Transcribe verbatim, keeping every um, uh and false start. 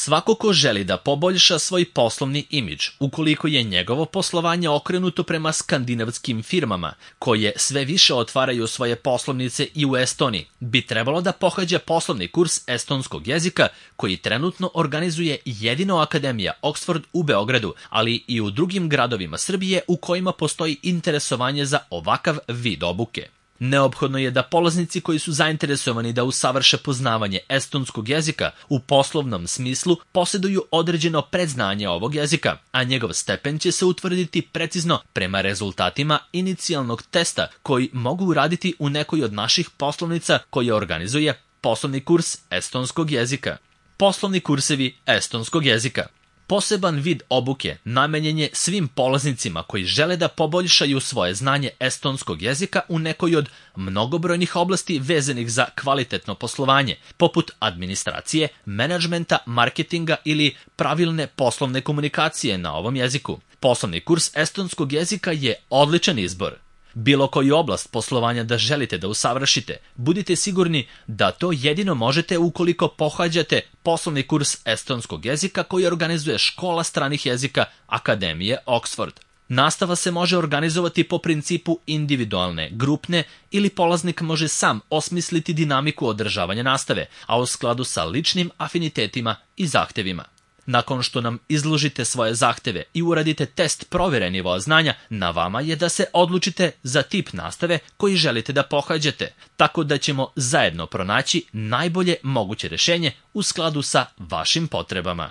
Svako ko želi da poboljša svoj poslovni imidž, ukoliko je njegovo poslovanje okrenuto prema skandinavskim firmama, koje sve više otvaraju svoje poslovnice i u Estoniji, bi trebalo da pohađa poslovni kurs estonskog jezika koji trenutno organizuje jedino Akademija Oxford u Beogradu, ali i u drugim gradovima Srbije u kojima postoji interesovanje za ovakav vid obuke. Neophodno je da polaznici koji su zainteresovani da usavrše poznavanje estonskog jezika u poslovnom smislu posjeduju određeno predznanje ovog jezika, a njegov stepen će se utvrditi precizno prema rezultatima inicijalnog testa koji mogu uraditi u nekoj od naših poslovnica koje organizuje poslovni kurs estonskog jezika. Poslovni kursevi estonskog jezika. Poseban vid obuke namenjen je svim polaznicima koji žele da poboljšaju svoje znanje estonskog jezika u nekoj od mnogobrojnih oblasti vezanih za kvalitetno poslovanje, poput administracije, menadžmenta, marketinga ili pravilne poslovne komunikacije na ovom jeziku. Poslovni kurs estonskog jezika je odličan izbor. Bilo koju oblast poslovanja da želite da usavršite, budite sigurni da to jedino možete ukoliko pohađate poslovni kurs estonskog jezika koji organizuje Škola stranih jezika Akademije Oxford. Nastava se može organizovati po principu individualne, grupne ili polaznik može sam osmisliti dinamiku održavanja nastave, a u skladu sa ličnim afinitetima i zahtevima. Nakon što nam izložite svoje zahteve i uradite test provere nivoa znanja, na vama je da se odlučite za tip nastave koji želite da pohađate, tako da ćemo zajedno pronaći najbolje moguće rešenje u skladu sa vašim potrebama.